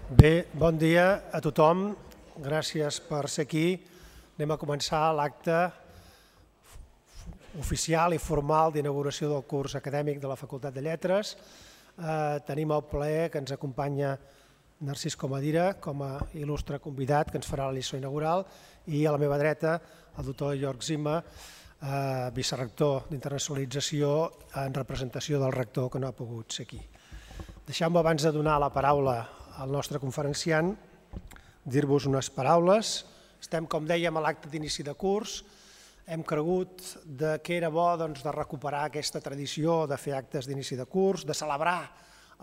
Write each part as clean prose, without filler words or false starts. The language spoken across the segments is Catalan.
Bé, bon dia a tothom. Gràcies per ser aquí. Anem a començar l'acte oficial i formal d'inauguració del curs acadèmic de la Facultat de Lletres. Tenim el plaer que ens acompanya Narcís Comadira com a il·lustre convidat que ens farà la lliçó inaugural i a la meva dreta el doctor Jörg Zimmer, vicerrector d'internacionalització en representació del rector que no ha pogut ser aquí. Deixeu-me abans de donar la paraula al nostre conferenciant, dir-vos unes paraules. Estem, com dèiem, a l'acte d'inici de curs. Hem cregut que era bo de recuperar aquesta tradició de fer actes d'inici de curs, de celebrar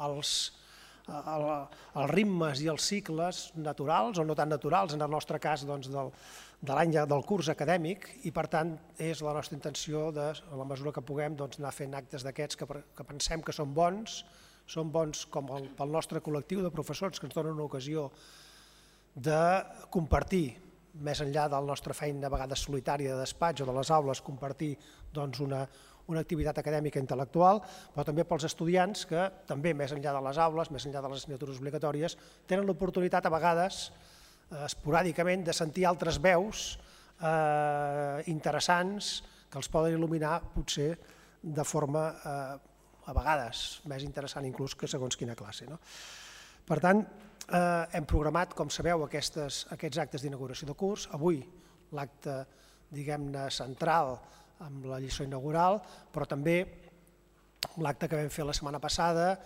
els ritmes i els cicles naturals o no tan naturals, en el nostre cas de l'any del curs acadèmic, i per tant és la nostra intenció, a la mesura que puguem, anar fent actes d'aquests que pensem que són bons com pel nostre col·lectiu de professors que ens donen una ocasió de compartir, més enllà de la nostra feina a vegades solitària de despatx o de les aules, compartir una activitat acadèmica intel·lectual, però també pels estudiants que també més enllà de les aules, més enllà de les assignatures obligatòries, tenen l'oportunitat a vegades, esporàdicament, de sentir altres veus interessants que els poden il·luminar potser de forma a vegades més interessant inclús que segons quina classe. Per tant, hem programat, com sabeu, aquests actes d'inauguració de curs. Avui l'acte, diguem-ne, central amb la lliçó inaugural, però també l'acte que vam fer la setmana passada,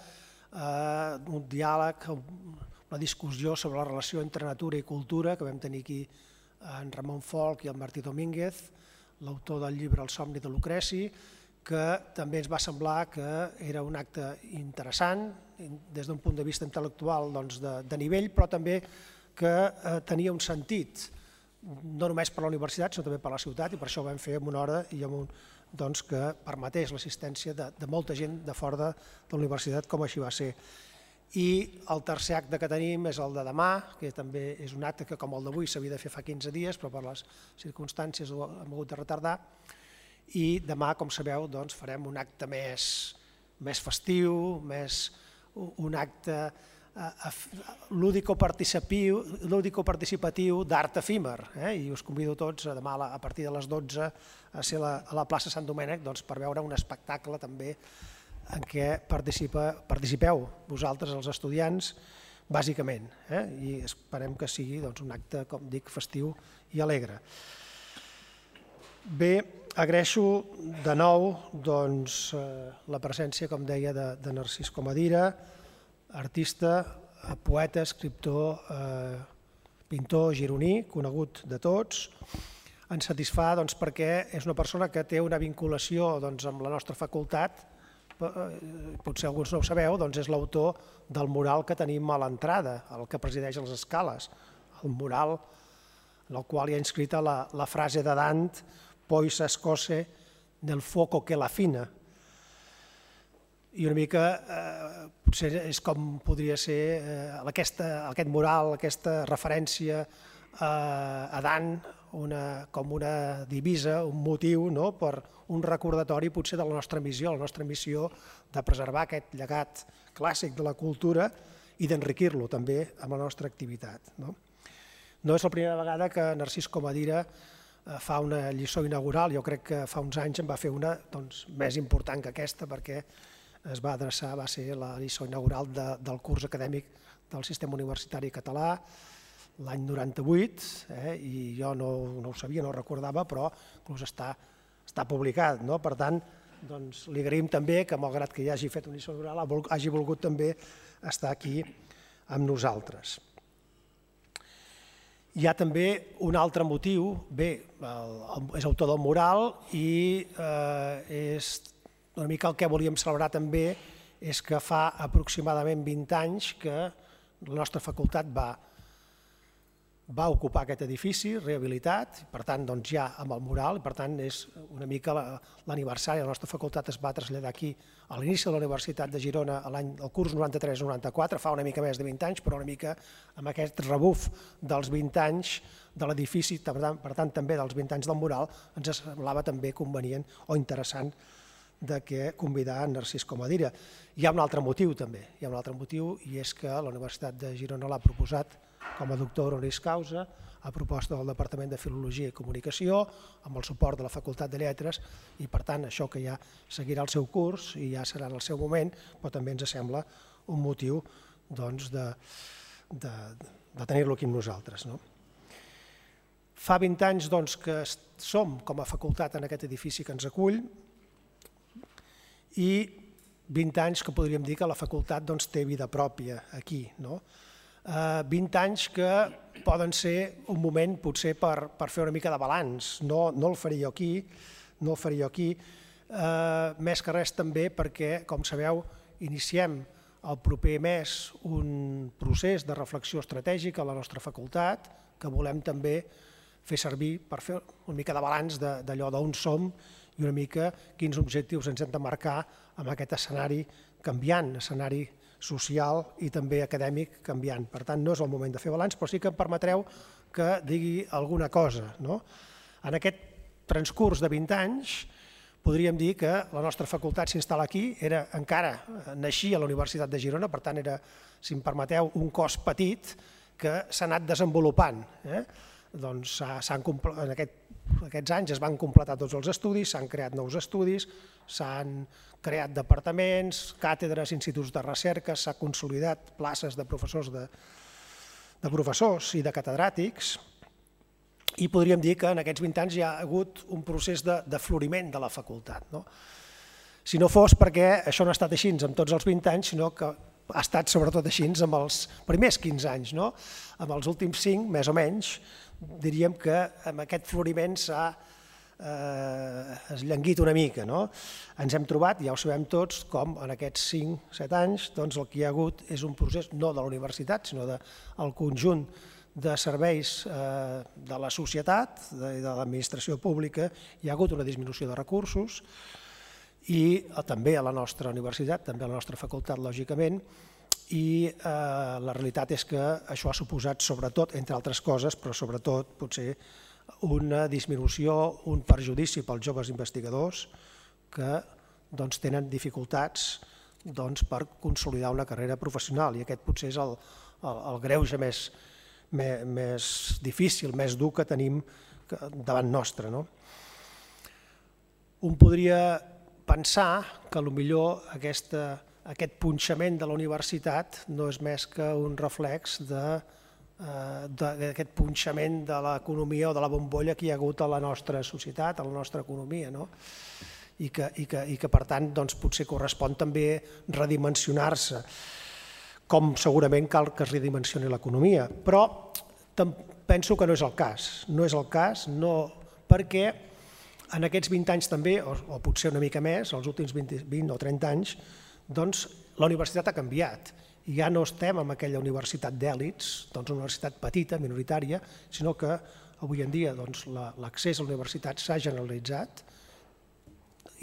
un diàleg, una discussió sobre la relació entre natura i cultura que vam tenir aquí en Ramon Folch i el Martí Domínguez, l'autor del llibre El somni de Lucreci, que també ens va semblar que era un acte interessant des d'un punt de vista intel·lectual de nivell, però també que tenia un sentit, no només per la universitat, sinó també per la ciutat, i per això ho vam fer en una hora i que permetés l'assistència de molta gent de fora de la universitat, com així va ser. I el tercer acte que tenim és el de demà, que també és un acte que, com el d'avui, s'havia de fer fa 15 dies, però per les circumstàncies ho hem hagut de retardar. I demà, com sabeu, farem un acte més festiu, un acte lúdico-participatiu d'art efímer. I us convido tots demà a partir de les 12 a ser a la plaça Sant Domènec per veure un espectacle també en què participeu vosaltres, els estudiants, bàsicament. I esperem que sigui un acte, com dic, festiu i alegre. Bé, agraeixo de nou la presència, com deia, de Narcís Comadira, artista, poeta, escriptor, pintor gironí, conegut de tots. Ens satisfà perquè és una persona que té una vinculació amb la nostra facultat, potser alguns no ho sabeu, és l'autor del mural que tenim a l'entrada, el que presideix les escales, el mural en el qual hi ha inscrita la frase de Dante «Poi s'ascose nel fuoco che la fina». I una mica potser és com podria ser aquest mural, aquesta referència a Dant com una divisa, un motiu per un recordatori potser de la nostra missió de preservar aquest llegat clàssic de la cultura i d'enriquir-lo també amb la nostra activitat. No és la primera vegada que Narcís Comadira fa una lliçó inaugural, jo crec que fa uns anys en va fer una més important que aquesta perquè va ser la lliçó inaugural del curs acadèmic del sistema universitari català l'any 98, i jo no ho sabia, no ho recordava, però inclús està publicat. Per tant, li agraïm també que, malgrat que ja hagi fet una lliçó inaugural, hagi volgut també estar aquí amb nosaltres. Hi ha també un altre motiu, és autor del mural i és una mica el que volíem celebrar també és que fa aproximadament 20 anys que la nostra facultat va ocupar aquest edifici rehabilitat, per tant ja amb el mural, i per tant és una mica l'aniversari. La nostra facultat es va traslladar aquí a l'inici de la Universitat de Girona el curs 93-94, fa una mica més de 20 anys, però una mica amb aquest rebuf dels 20 anys de l'edifici, per tant també dels 20 anys del mural, ens semblava també convenient o interessant de què convidar en Narcís Comadira. Hi ha un altre motiu també, i és que la Universitat de Girona l'ha proposat com a doctor honoris causa a proposta del Departament de Filologia i Comunicació, amb el suport de la Facultat de Lletres, i per tant això que ja seguirà el seu curs i ja serà en el seu moment, però també ens sembla un motiu de tenir-lo aquí amb nosaltres. Fa 20 anys que som com a facultat en aquest edifici que ens acull i 20 anys que podríem dir que la facultat té vida pròpia aquí. 20 anys que poden ser un moment potser per fer una mica de balanç. No el faré jo aquí, més que res també perquè, com sabeu, iniciem el proper mes un procés de reflexió estratègica a la nostra facultat que volem també fer servir per fer una mica de balanç d'allò d'on som i una mica quins objectius ens hem de marcar amb aquest escenari canviant, escenari social i també acadèmic canviant. Per tant, no és el moment de fer balanç, però sí que em permetreu que digui alguna cosa. En aquest transcurs de 20 anys podríem dir que la nostra facultat s'instal·la aquí, encara naixia a la Universitat de Girona, per tant era, si em permeteu, un cos petit que s'ha anat desenvolupant. En aquests anys es van completar tots els estudis, s'han creat nous estudis, s'han creat departaments, càtedres, instituts de recerca, s'ha consolidat places de professors i de catedràtics, i podríem dir que en aquests 20 anys hi ha hagut un procés de floriment de la facultat. Si no fos perquè això no ha estat així en tots els 20 anys, sinó que ha estat sobretot així en els primers 15 anys. En els últims 5, més o menys, diríem que amb aquest floriment s'ha esllanguit una mica. Ens hem trobat, ja ho sabem tots, com en aquests 5-7 anys el que hi ha hagut és un procés no de la universitat, sinó del conjunt de serveis de la societat i de l'administració pública. Hi ha hagut una disminució de recursos i també a la nostra universitat, també a la nostra facultat, lògicament, i la realitat és que això ha suposat sobretot, entre altres coses, però sobretot potser una disminució, un perjudici pels joves investigadors que tenen dificultats per consolidar una carrera professional, i aquest potser és el greuge més difícil, més dur que tenim davant nostre. Un podria pensar que potser aquest punxament de la universitat no és més que un reflex d'aquest punxament de l'economia o de la bombolla que hi ha hagut a la nostra societat, a la nostra economia, i que per tant potser correspon també redimensionar-se, com segurament cal que es redimensioni l'economia. Però penso que no és el cas, perquè en aquests 20 anys també, o potser una mica més, els últims 20 o 30 anys, la universitat ha canviat. Ja no estem en aquella universitat d'èlits, una universitat petita, minoritària, sinó que avui en dia l'accés a la universitat s'ha generalitzat.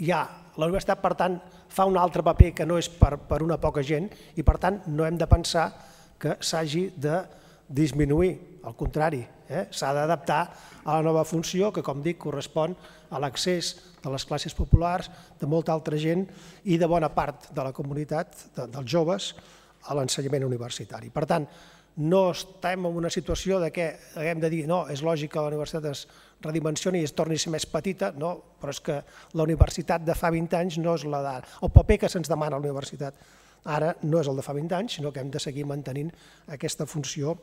La universitat, per tant, fa un altre paper que no és per una poca gent i, per tant, no hem de pensar que s'hagi de disminuir, al contrari, s'ha d'adaptar a la nova funció que, com dic, correspon a l'accés de les classes populars, de molta altra gent i de bona part de la comunitat, dels joves, a l'ensenyament universitari. Per tant, no estem en una situació que haguem de dir no, és lògic que la universitat es redimensioni i es torni a ser més petita, no, però és que la universitat de fa 20 anys no és la d'ara. El paper que se'ns demana a la universitat ara no és el de fa 20 anys, sinó que hem de seguir mantenint aquesta funció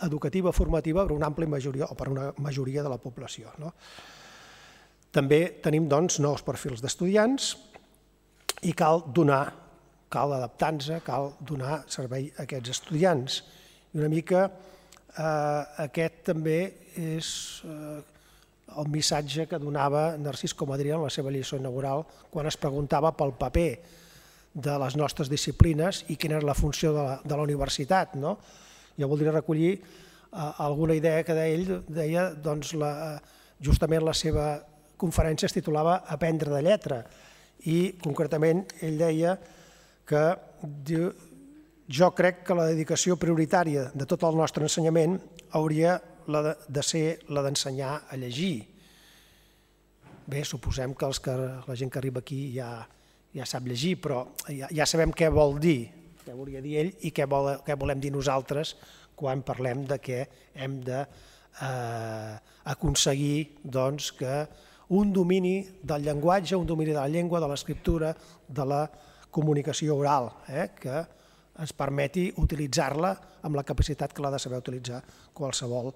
educativa, formativa per una àmplia majoria o per una majoria de la població. També tenim nous perfils d'estudiants i cal adaptar-nos, cal donar servei a aquests estudiants. I una mica aquest també és el missatge que donava Narcís Comadira en la seva lliçó inaugural quan es preguntava pel paper de les nostres disciplines i quina era la funció de la universitat. Jo voldria recollir alguna idea que ell deia, justament la seva conferència es titulava Aprendre de lletra i concretament ell deia que jo crec que la dedicació prioritària de tot el nostre ensenyament hauria de ser la d'ensenyar a llegir. bé, suposem que la gent que arriba aquí ja sap llegir, però ja sabem què vol dir, què volia dir ell i què volem dir nosaltres quan parlem de que hem d'aconseguir que un domini del llenguatge, un domini de la llengua, de l'escriptura, de la comunicació oral, que ens permeti utilitzar-la amb la capacitat que l'ha de saber utilitzar qualsevol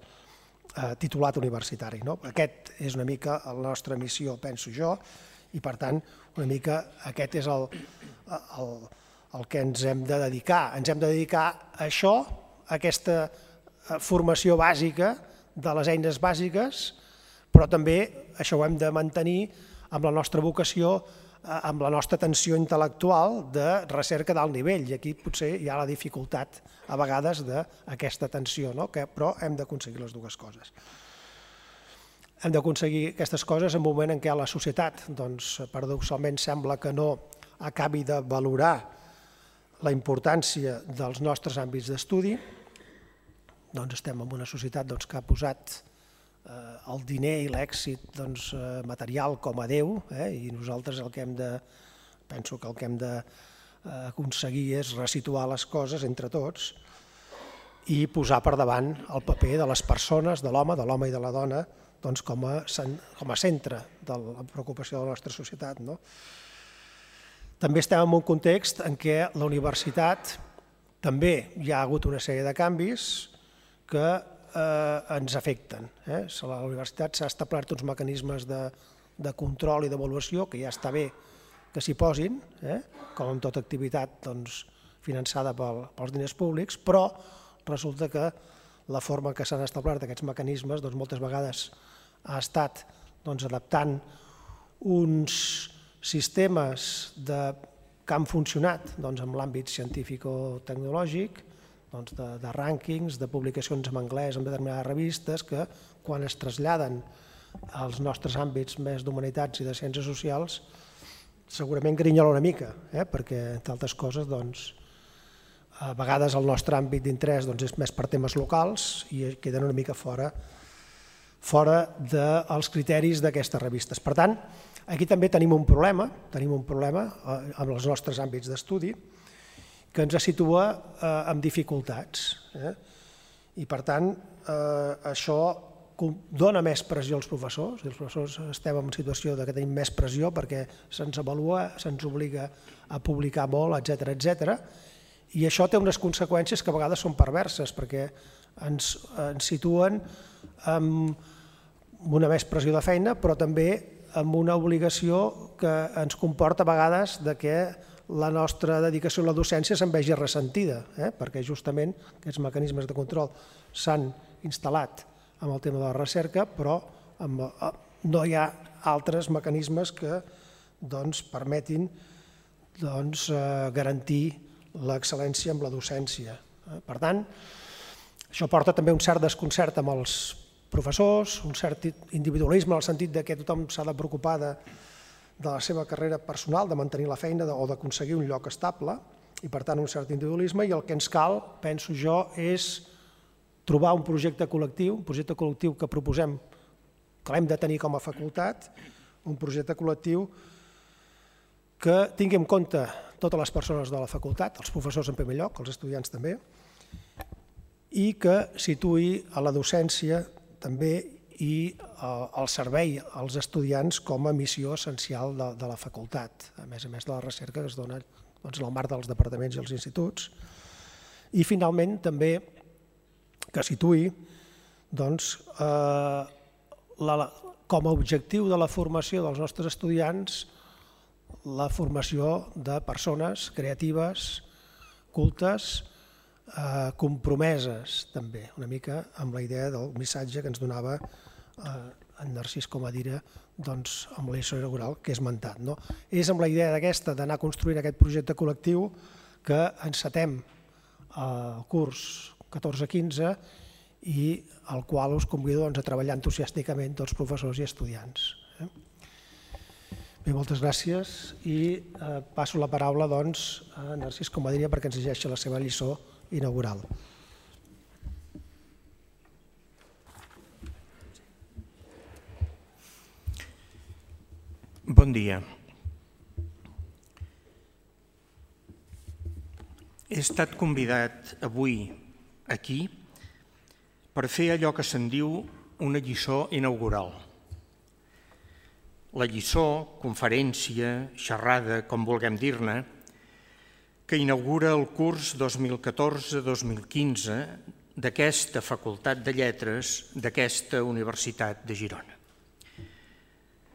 titulat universitari. Aquest és una mica la nostra missió, penso jo, i per tant una mica aquest és el que ens hem de dedicar. Ens hem de dedicar a això, a aquesta formació bàsica de les eines bàsiques, però també això ho hem de mantenir amb la nostra vocació, amb la nostra tensió intel·lectual de recerca d'alt nivell, i aquí potser hi ha la dificultat a vegades d'aquesta tensió, però hem d'aconseguir les dues coses. Hem d'aconseguir aquestes coses en un moment en què la societat, paradoxalment, sembla que no acabi de valorar la importància dels nostres àmbits d'estudi. Estem en una societat que ha posat el diner i l'èxit material com a Déu, i nosaltres penso que el que hem d'aconseguir és resituar les coses entre tots i posar per davant el paper de les persones, de l'home i de la dona, com a centre de la preocupació de la nostra societat. També estem en un context en què la universitat també hi ha hagut una sèrie de canvis que ens afecten. A la universitat s'ha establert uns mecanismes de control i d'avaluació que ja està bé que s'hi posin, com en tota activitat finançada pels diners públics, però resulta que la forma que s'han establert aquests mecanismes moltes vegades ha estat adaptant uns sistemes que han funcionat en l'àmbit científico-tecnològic, de rànquings, de publicacions en anglès en determinades revistes, que quan es traslladen als nostres àmbits més d'humanitats i de ciències socials segurament grinyola una mica, perquè, entre altres coses, a vegades el nostre àmbit d'interès és més per temes locals i queden una mica fora dels criteris d'aquestes revistes. Per tant, aquí també tenim un problema amb els nostres àmbits d'estudi que ens situa amb dificultats. I per tant, això dona més pressió als professors, i els professors estem en situació que tenim més pressió perquè se'ns avalua, se'ns obliga a publicar molt, etcètera, i això té unes conseqüències que a vegades són perverses perquè ens situen amb una més pressió de feina, però també amb una obligació que ens comporta a vegades que la nostra dedicació a la docència se'n vegi ressentida, perquè justament aquests mecanismes de control s'han instal·lat amb el tema de la recerca, però no hi ha altres mecanismes que permetin garantir l'excel·lència amb la docència. Per tant, això porta també un cert desconcert amb els professors, un cert individualisme en el sentit que tothom s'ha de preocupar de la seva carrera personal, de mantenir la feina o d'aconseguir un lloc estable, i per tant un cert individualisme, i el que ens cal, penso jo, és trobar un projecte col·lectiu que proposem, que l'hem de tenir com a facultat, un projecte col·lectiu que tingui en compte totes les persones de la facultat, els professors en primer lloc, els estudiants també, i que situï a la docència també i el servei als estudiants com a missió essencial de la facultat, a més de la recerca que es dona en el marc dels departaments i els instituts. I finalment també que situï com a objectiu de la formació dels nostres estudiants la formació de persones creatives, cultes, compromeses també, una mica amb la idea del missatge que ens donava en Narcís Comadira amb la lliçó inaugural que he esmentat. És amb la idea d'aquesta d'anar construint aquest projecte col·lectiu que encetem el curs 14-15 i al qual us convido a treballar entusiàsticament tots professors i estudiants. Bé, moltes gràcies i passo la paraula a Narcís Comadira perquè ens llegeixi la seva lliçó inaugural. Bon dia. He estat convidat avui aquí per fer allò que se'n diu una lliçó inaugural. La lliçó, conferència, xerrada, com vulguem dir-ne, que inaugura el curs 2014-2015 d'aquesta Facultat de Lletres d'aquesta Universitat de Girona.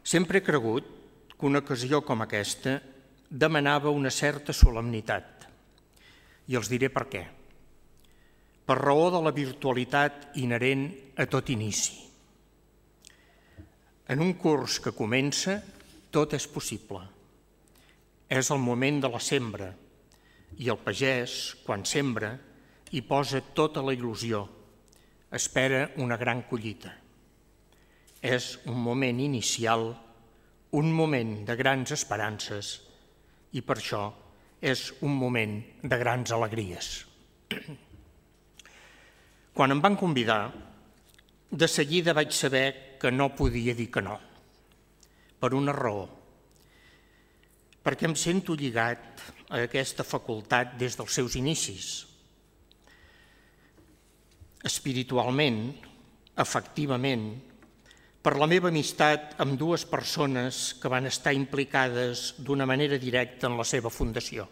Sempre he cregut que una ocasió com aquesta demanava una certa solemnitat, i els diré per què. Per raó de la virtualitat inherent a tot inici. En un curs que comença, tot és possible. És el moment de la sembra, i el pagès, quan sembra, hi posa tota la il·lusió, espera una gran collita. És un moment inicial, un moment de grans esperances, i per això és un moment de grans alegries. Quan em van convidar, de seguida vaig saber que no podia dir que no, per una raó. Perquè em sento lligat a aquesta facultat des dels seus inicis. Espiritualment, efectivament, per la meva amistat amb dues persones que van estar implicades d'una manera directa en la seva fundació.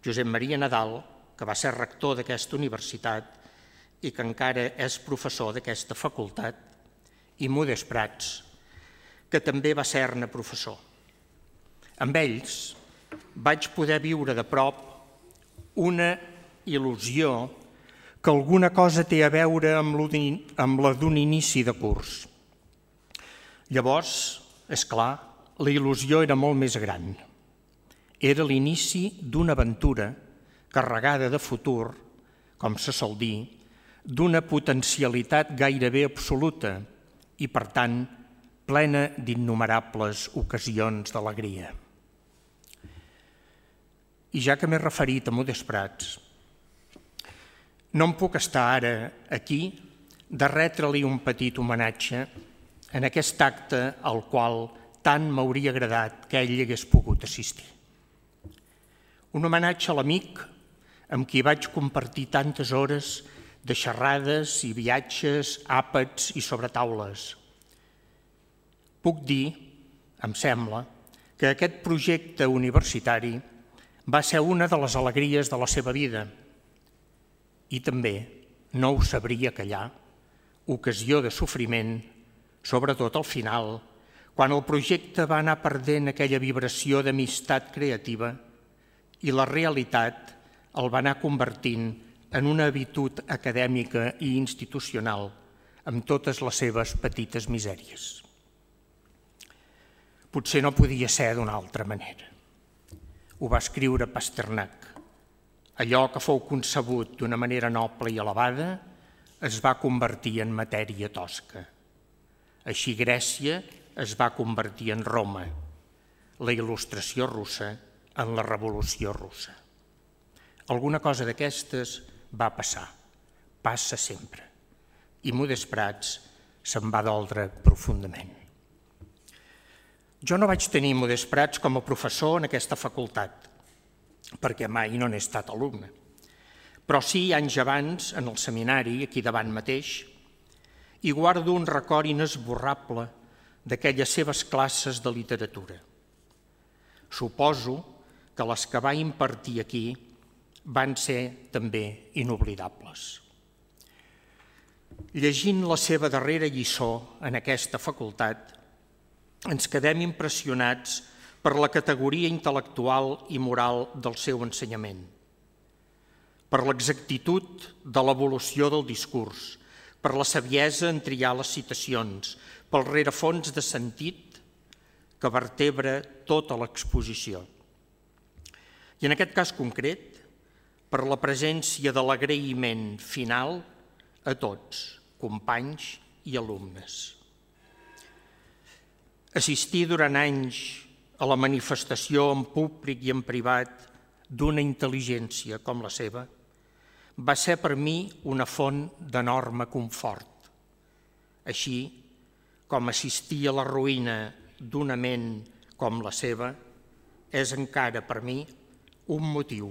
Josep Maria Nadal, que va ser rector d'aquesta universitat i que encara és professor d'aquesta facultat, i Modest Prats, que també va ser-ne professor. Amb ells vaig poder viure de prop una il·lusió que alguna cosa té a veure amb la d'un inici de curs. Llavors, és clar, la il·lusió era molt més gran. Era l'inici d'una aventura carregada de futur, com se sol dir, d'una potencialitat gairebé absoluta i, per tant, plena d'innumerables ocasions d'alegria. I ja que m'he referit a Modest Prats, no em puc estar ara aquí de retre-li un petit homenatge en aquest acte al qual tant m'hauria agradat que ell hi hagués pogut assistir. Un homenatge a l'amic amb qui vaig compartir tantes hores de xerrades i viatges, àpats i sobretaules. Puc dir, em sembla, que aquest projecte universitari va ser una de les alegries de la seva vida i també, no ho sabria callar, ocasió de sofriment, sobretot al final, quan el projecte va anar perdent aquella vibració d'amistat creativa i la realitat el va anar convertint en una habitud acadèmica i institucional amb totes les seves petites misèries. Potser no podia ser d'una altra manera. Ho va escriure Pasternak. Allò que fou concebut d'una manera noble i elevada es va convertir en matèria tosca. Així Grècia es va convertir en Roma, la il·lustració russa en la revolució russa. Alguna cosa d'aquestes va passar, passa sempre, i Modest Prats se'n va doldre profundament. Jo no vaig tenir Modest Prats com a professor en aquesta facultat, perquè mai no n'he estat alumne, però sí anys abans, en el seminari, aquí davant mateix, i guardo un record inesborrable d'aquelles seves classes de literatura. Suposo que les que va impartir aquí van ser també inoblidables. Llegint la seva darrera lliçó en aquesta facultat, ens quedem impressionats per la categoria intel·lectual i moral del seu ensenyament, per l'exactitud de l'evolució del discurs, per la saviesa en triar les citacions, pel rerefons de sentit que vertebra tota l'exposició. I en aquest cas concret, per la presència de l'agraïment final a tots, companys i alumnes. Assistir durant anys a la manifestació en públic i en privat d'una intel·ligència com la seva va ser per mi una font d'enorme confort, així com assistir a la ruïna d'una ment com la seva és encara per mi un motiu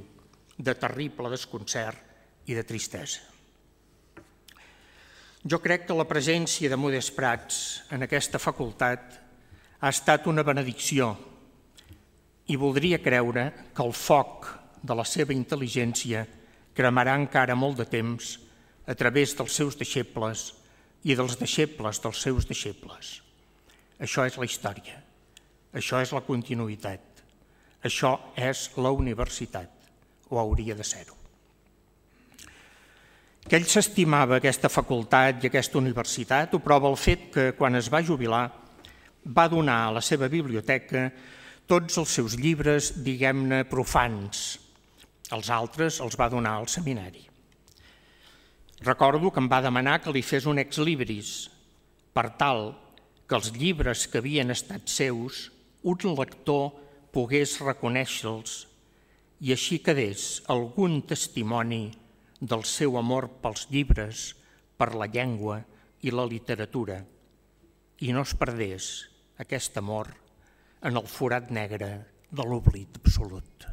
de terrible desconcert i de tristesa. Jo crec que la presència de Modest Prats en aquesta facultat ha estat una benedicció i voldria creure que el foc de la seva intel·ligència cremarà encara molt de temps a través dels seus deixebles i dels deixebles dels seus deixebles. Això és la història, això és la continuïtat, això és la universitat, o hauria de ser-ho. Que ell s'estimava aquesta facultat i aquesta universitat ho prova el fet que, quan es va jubilar, va donar a la seva biblioteca tots els seus llibres, diguem-ne, profans. Els altres els va donar al seminari. Recordo que em va demanar que li fes un ex libris, per tal que els llibres que havien estat seus, un lector pogués reconèixer-los i així quedés algun testimoni del seu amor pels llibres, per la llengua i la literatura, i no es perdés aquest amor en el forat negre de l'oblit absolut.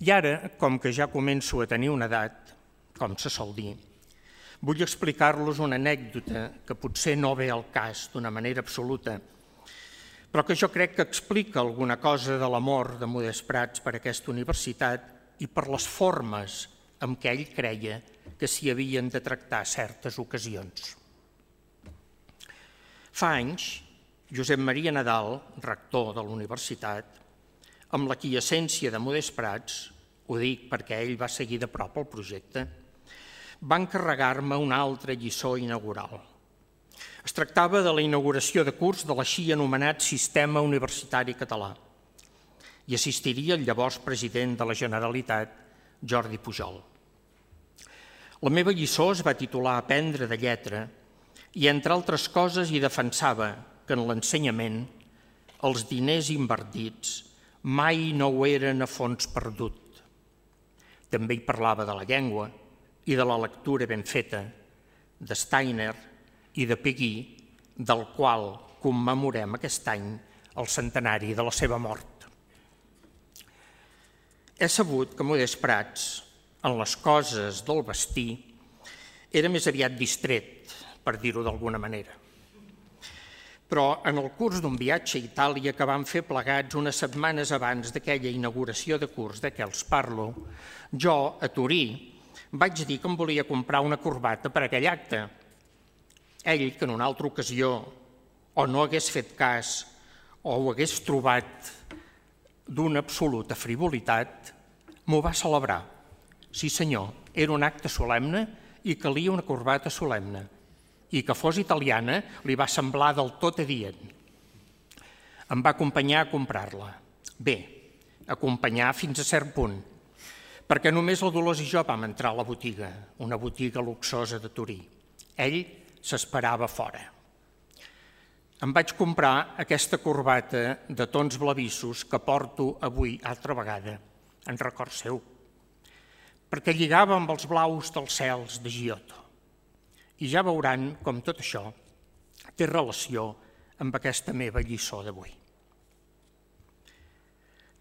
I ara, com que ja començo a tenir una edat, com se sol dir, vull explicar-los una anècdota que potser no ve al cas d'una manera absoluta, però que jo crec que explica alguna cosa de l'amor de Modest Prats per aquesta universitat i per les formes amb què ell creia que s'hi havien de tractar certes ocasions. Fa anys, Josep Maria Nadal, rector de la universitat, amb la quiescència de Modest Prats, ho dic perquè ell va seguir de prop el projecte, va encarregar-me una altra lliçó inaugural. Es tractava de la inauguració de curs de l'així anomenat Sistema Universitari Català i assistiria el llavors president de la Generalitat, Jordi Pujol. La meva lliçó es va titular Aprendre de lletra i, entre altres coses, hi defensava que en l'ensenyament els diners invertits mai no ho eren a fons perdut. També hi parlava de la llengua i de la lectura ben feta, de Steiner i de Peguy, del qual commemorem aquest any el centenari de la seva mort. He sabut que Modest Prats, en les coses del vestir, era més aviat distret, per dir-ho d'alguna manera. Però en el curs d'un viatge a Itàlia que vam fer plegats unes setmanes abans d'aquella inauguració de curs de què els parlo, jo, a Torí, vaig dir que em volia comprar una corbata per a aquell acte. Ell, que en una altra ocasió o no hagués fet cas o ho hagués trobat d'una absoluta frivolitat, m'ho va celebrar. Sí, senyor, era un acte solemne i calia una corbata solemne. I que fos italiana li va semblar del tot adient. Em va acompanyar a comprar-la. Bé, acompanyar fins a cert punt, perquè només la Dolors i jo vam entrar a la botiga, una botiga luxosa de Torí. Ell s'esperava fora. Em vaig comprar aquesta corbata de tons blavissos que porto avui altra vegada, en record seu, perquè lligava amb els blaus dels cels de Giotto. I ja veuran com tot això té relació amb aquesta meva lliçó d'avui.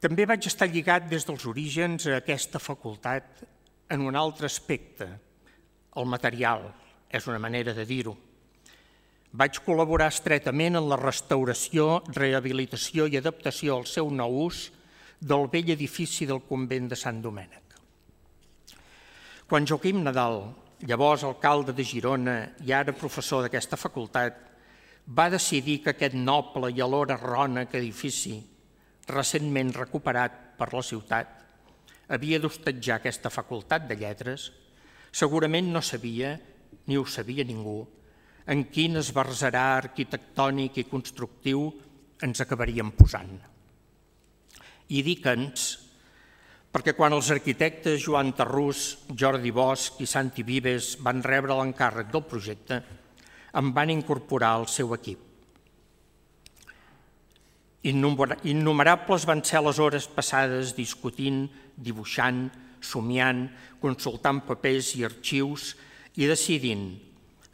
També vaig estar lligat des dels orígens a aquesta facultat en un altre aspecte, el material, és una manera de dir-ho. Vaig col·laborar estretament en la restauració, rehabilitació i adaptació al seu nou ús del vell edifici del convent de Sant Domènec. Quan Joaquim Nadal, llavors alcalde de Girona i ara professor d'aquesta facultat, va decidir que aquest noble i alhora rònec edifici, recentment recuperat per la ciutat, havia d'hostatjar aquesta facultat de lletres, segurament no sabia, ni ho sabia ningú, en quin esbarzerà arquitectònic i constructiu ens acabaríem posant. I dic ens, perquè quan els arquitectes Joan Tarrús, Jordi Bosch i Santi Vives van rebre l'encàrrec del projecte, em van incorporar al seu equip. Innumerables van ser les hores passades discutint, dibuixant, somiant, consultant papers i arxius i decidint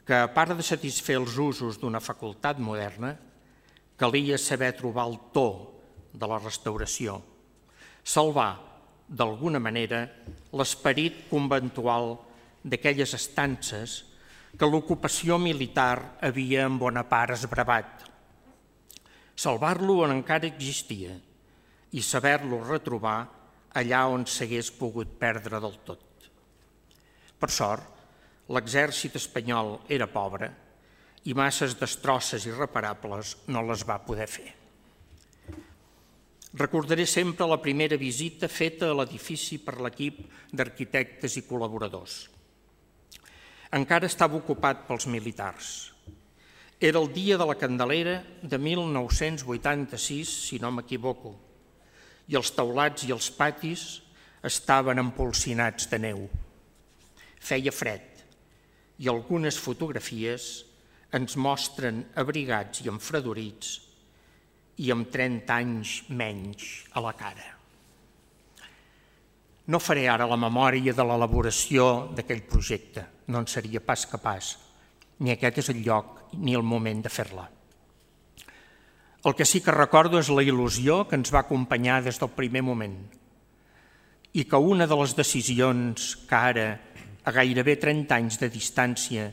que, a part de satisfer els usos d'una facultat moderna, calia saber trobar el to de la restauració, salvar, d'alguna manera, l'esperit conventual d'aquelles estances que l'ocupació militar havia en bona part esbravat. Salvar-lo on encara existia i saber-lo retrobar allà on s'hagués pogut perdre del tot. Per sort, l'exèrcit espanyol era pobre i masses destrosses irreparables no les va poder fer. Recordaré sempre la primera visita feta a l'edifici per l'equip d'arquitectes i col·laboradors. Encara estava ocupat pels militars. Era el dia de la Candelera de 1986, si no m'equivoco, i els teulats i els patis estaven empolsinats de neu. Feia fred i algunes fotografies ens mostren abrigats i enfredorits i amb 30 anys menys a la cara. No faré ara la memòria de l'elaboració d'aquell projecte, no en seria pas capaç, ni aquest és el lloc ni el moment de fer-la. El que sí que recordo és la il·lusió que ens va acompanyar des del primer moment i que una de les decisions que ara, a gairebé 30 anys de distància,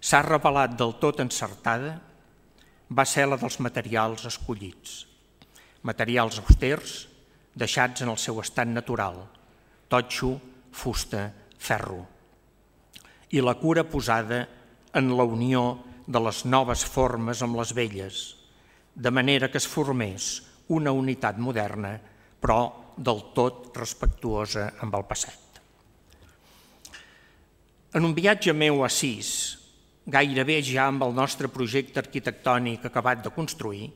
s'ha revelat del tot encertada, va ser la dels materials escollits. Materials austers, deixats en el seu estat natural, totxo, fusta, ferro. I la cura posada en la unió de les noves formes amb les velles, de manera que es formés una unitat moderna, però del tot respectuosa amb el passat. En un viatge meu a Assís, gairebé ja amb el nostre projecte arquitectònic acabat de construir,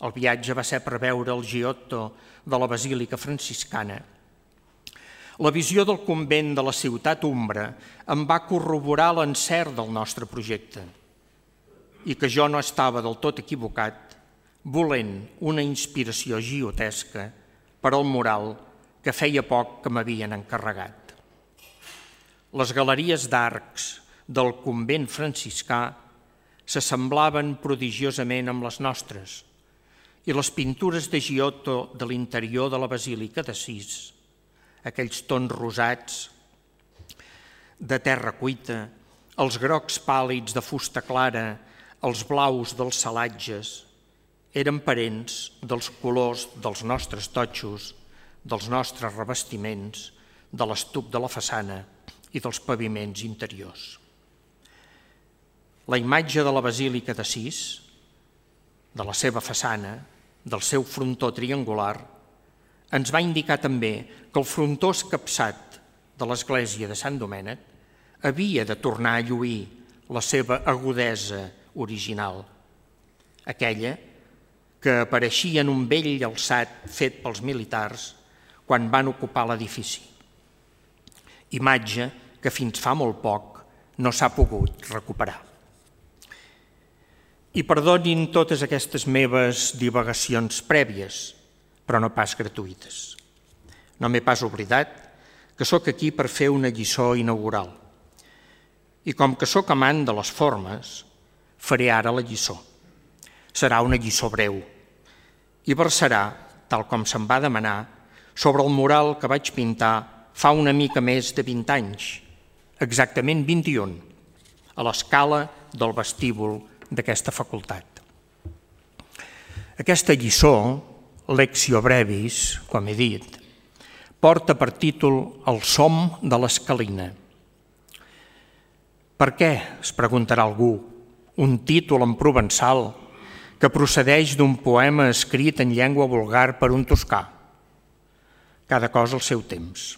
el viatge va ser per veure el Giotto de la Basílica Franciscana. La visió del convent de la ciutat Umbra em va corroborar l'encert del nostre projecte i que jo no estava del tot equivocat volent una inspiració giotesca per al mural que feia poc que m'havien encarregat. Les galeries d'arcs del convent franciscà s'assemblaven prodigiosament amb les nostres i les pintures de Giotto de l'interior de la Basílica d'Assís, aquells tons rosats de terra cuita, els grocs pàl·lids de fusta clara, els blaus dels salatges, eren parents dels colors dels nostres totxos, dels nostres revestiments, de l'estuc de la façana i dels paviments interiors. La imatge de la Basílica d'Assís, de la seva façana, del seu frontó triangular, ens va indicar també que el frontó escapçat de l'església de Sant Domènec havia de tornar a lluir la seva agudesa original, aquella que apareixia en un vell alçat fet pels militars quan van ocupar l'edifici. Imatge que fins fa molt poc no s'ha pogut recuperar. I perdonin totes aquestes meves divagacions prèvies, però no pas gratuïtes. No m'he pas oblidat que sóc aquí per fer una lliçó inaugural. I com que sóc amant de les formes, faré ara la lliçó. Serà una lliçó breu i versarà, tal com se'm va demanar, sobre el mural que vaig pintar fa una mica més de 20 anys, exactament 21, a l'escala del vestíbul d'aquesta facultat. Aquesta lliçó, Lectio Brevis, com he dit, porta per títol El som de l'escalina. Per què, es preguntarà algú, un títol en provençal que procedeix d'un poema escrit en llengua vulgar per un toscà? Cada cosa al seu temps.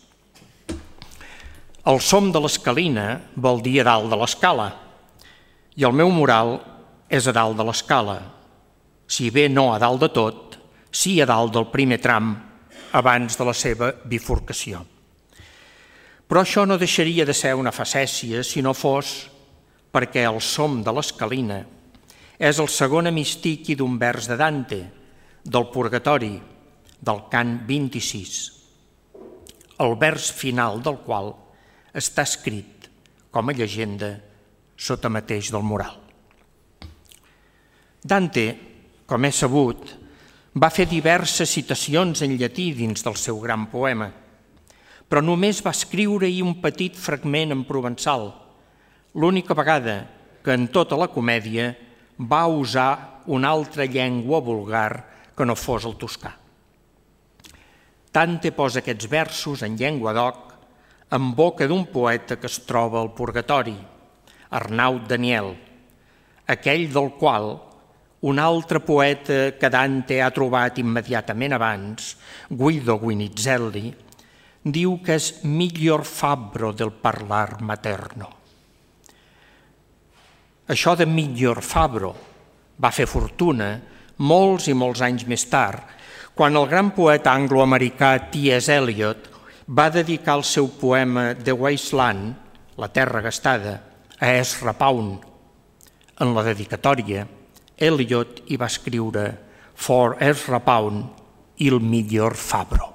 El som de l'escalina vol dir a dalt de l'escala i el meu mural és a dalt de l'escala, si bé no a dalt de tot, sí a dalt del primer tram abans de la seva bifurcació. Però això no deixaria de ser una facècia si no fos perquè el som de l'escalina és el segon hemistiqui d'un vers de Dante, del Purgatori, del cant 26, el vers final del qual està escrit com a llegenda sota mateix del mural. Dante com és sabut, va fer diverses citacions en llatí dins del seu gran poema, però només va escriure-hi un petit fragment en provençal, l'única vegada que en tota la comèdia va usar una altra llengua vulgar que no fos el toscà. Dante posa aquests versos en llengua d'oc en boca d'un poeta que es troba al purgatori, Arnaud Daniel, aquell del qual un altre poeta que Dante ha trobat immediatament abans, Guido Guinizelli, diu que és miglior fabbro del parlar materno. Això de miglior fabbro va fer fortuna molts i molts anys més tard, quan el gran poeta angloamericà T.S. Eliot va dedicar el seu poema The Wasteland, La terra gastada, a Ezra Pound. En la dedicatòria, Eliot hi va escriure For Ezra Pound, il miglior fabbro.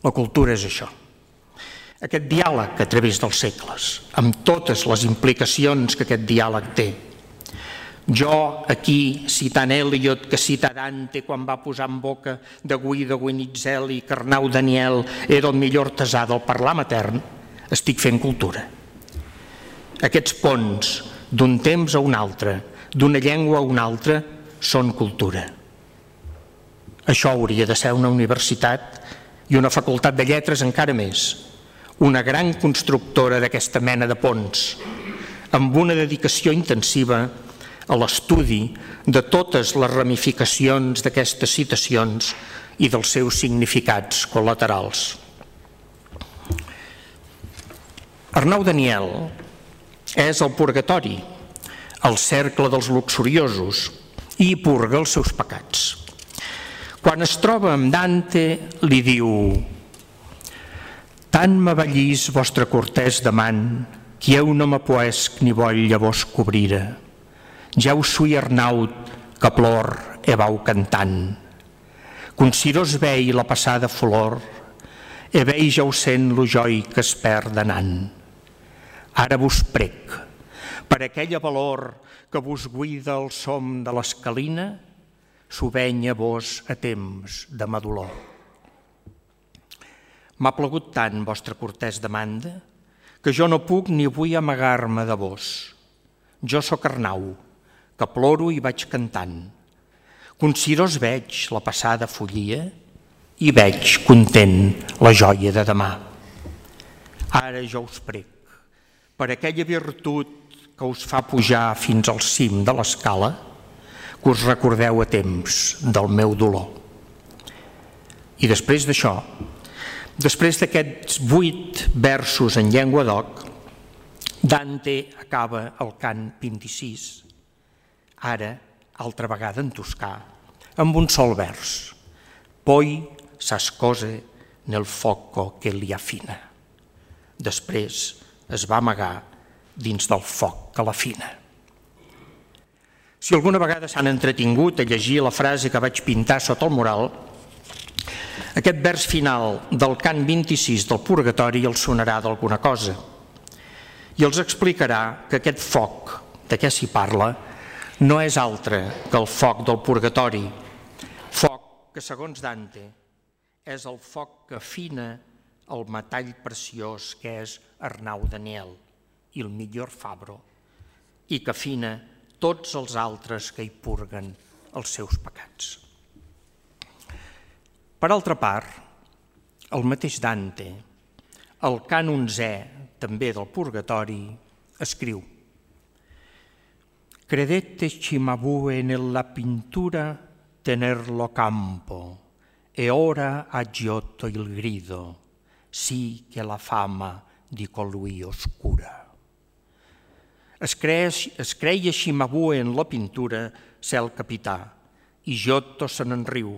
La cultura és això. Aquest diàleg a través dels segles, amb totes les implicacions que aquest diàleg té. Jo, aquí, citant Eliot, que cita Dante quan va posar en boca de Guido Guinizelli que Arnaud Daniel era el millor artesà del parlar matern, estic fent cultura. Aquests ponts d'un temps a un altre, d'una llengua a una altra, són cultura. Això hauria de ser una universitat i una facultat de lletres encara més, una gran constructora d'aquesta mena de ponts, amb una dedicació intensiva a l'estudi de totes les ramificacions d'aquestes citacions i dels seus significats col·laterals. Arnaud Daniel és el purgatori, el cercle dels luxuriosos, i hi purga els seus pecats. Quan es troba amb Dante, li diu: «Tant m'avallís vostre cortès demant, que eu no me poesc ni voll a vos cobrira. Ja us sui Arnaud, que plor e vau cantant. Consiros vei la passada flor, e vei ja us sent lo joi que es perd anant. Ara vos prec, per aquella valor que vos guida el som de l'escalina, s'ho veny a vos a temps de ma dolor. M'ha plagut tant vostra cortès demanda, que jo no puc ni vull amagar-me de vos. Jo sóc Arnau, que ploro i vaig cantant. Consiros veig la passada follia i veig content la joia de demà. Ara jo us prec, per aquella virtut que us fa pujar fins al cim de l'escala, que us recordeu a temps del meu dolor. I després d'això, després d'aquests 8 versos en llengua d'oc, Dante acaba el cant 26, ara, altra vegada en toscà, amb un sol vers. Poi s'ascose nel foco que li afina. Després es va amagar dins del foc que l'afina. Si alguna vegada s'han entretingut a llegir la frase que vaig pintar sota el mural, aquest vers final del cant 26 del Purgatori els sonarà d'alguna cosa i els explicarà que aquest foc de què s'hi parla no és altre que el foc del Purgatori, foc que, segons Dante, és el foc que afina el metall preciós que és Arnaud Daniel, il miglior fabbro, i que afina tots els altres que hi purguen els seus pecats. Per altra part, el mateix Dante, al cant 11è, també del Purgatori, escriu: Credette Cimabue nella pintura tenerlo campo, e ora ha giotto il grido, sì che la fama di colui oscura. Es creia Cimabue en la pintura ser el capità, i Giotto se n'enriu,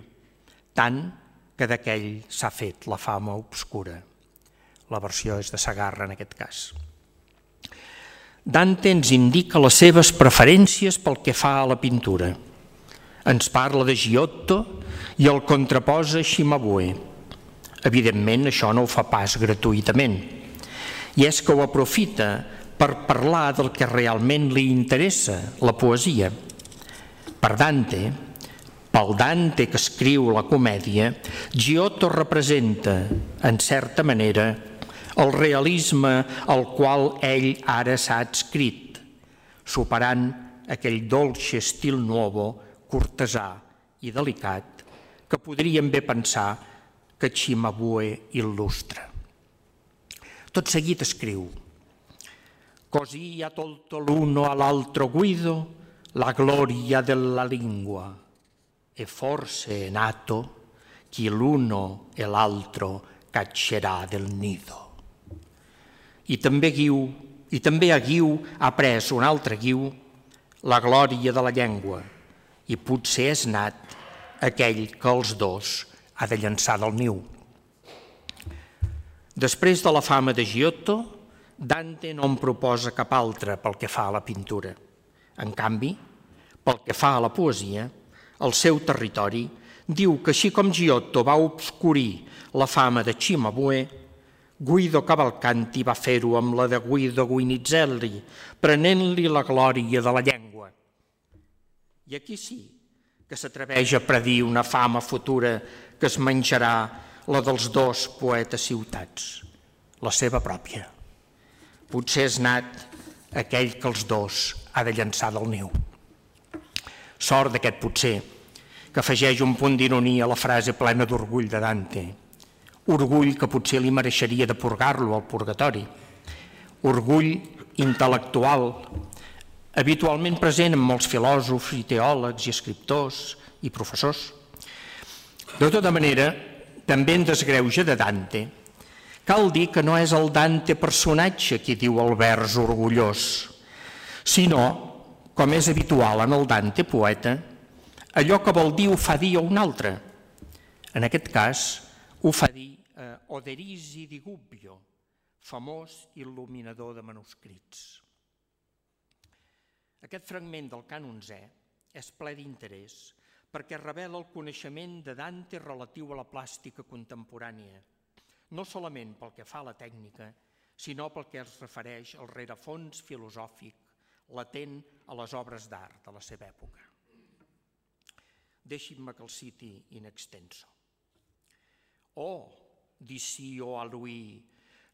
tant que d'aquell s'ha fet la fama obscura. La versió és de Sagarra en aquest cas. Dante ens indica les seves preferències pel que fa a la pintura. Ens parla de Giotto i el contraposa Cimabue. Evidentment, això no ho fa pas gratuïtament, i és que ho aprofita per parlar del que realment li interessa, la poesia. Per Dante, pel Dante que escriu la comèdia, Giotto representa, en certa manera, el realisme al qual ell ara s'ha adscrit, superant aquell dolce estil nuovo, cortesà i delicat, que podríem bé pensar que Cimabue il·lustra. Tot seguit escriu: «Così ha tolto l'uno all'altro Guido la gloria della lingua, e forse è nato chi l'uno e l'altro caccerà del nido». I també a Guiu ha pres un altre Guiu la glòria de la llengua, i potser és nat aquell que els dos ha de llançar del niu. Després de la fama de Giotto, Dante no en proposa cap altra pel que fa a la pintura. En canvi, pel que fa a la poesia, el seu territori diu que així com Giotto va obscurir la fama de Cimabue, Guido Cavalcanti va fer-ho amb la de Guido Guinizelli, prenent-li la glòria de la llengua. I aquí sí que s'atreveix a predir una fama futura que es menjarà la dels dos poetes ciutats, la seva pròpia. Potser és nat aquell que els dos ha de llançar del niu. Sort d'aquest potser, que afegeix un punt d'ironia a la frase plena d'orgull de Dante. Orgull que potser li mereixeria de purgar-lo al purgatori. Orgull intel·lectual, habitualment present en molts filòsofs i teòlegs i escriptors i professors. De tota manera, també en desgreuge de Dante, cal dir que no és el Dante personatge qui diu el vers orgullós, sinó, com és habitual en el Dante poeta, allò que vol dir ho fa dir a un altre. En aquest cas, ho fa dir Oderisi di Gubbio, famós il·luminador de manuscrits. Aquest fragment del cànon Zè és ple d'interès perquè revela el coneixement de Dante relatiu a la plàstica contemporània, no solament pel que fa a la tècnica, sinó pel que es refereix al rerefons filosòfic latent a les obres d'art de la seva època. Deixin-me que el citi in extenso. «Oh, dissi io a lui,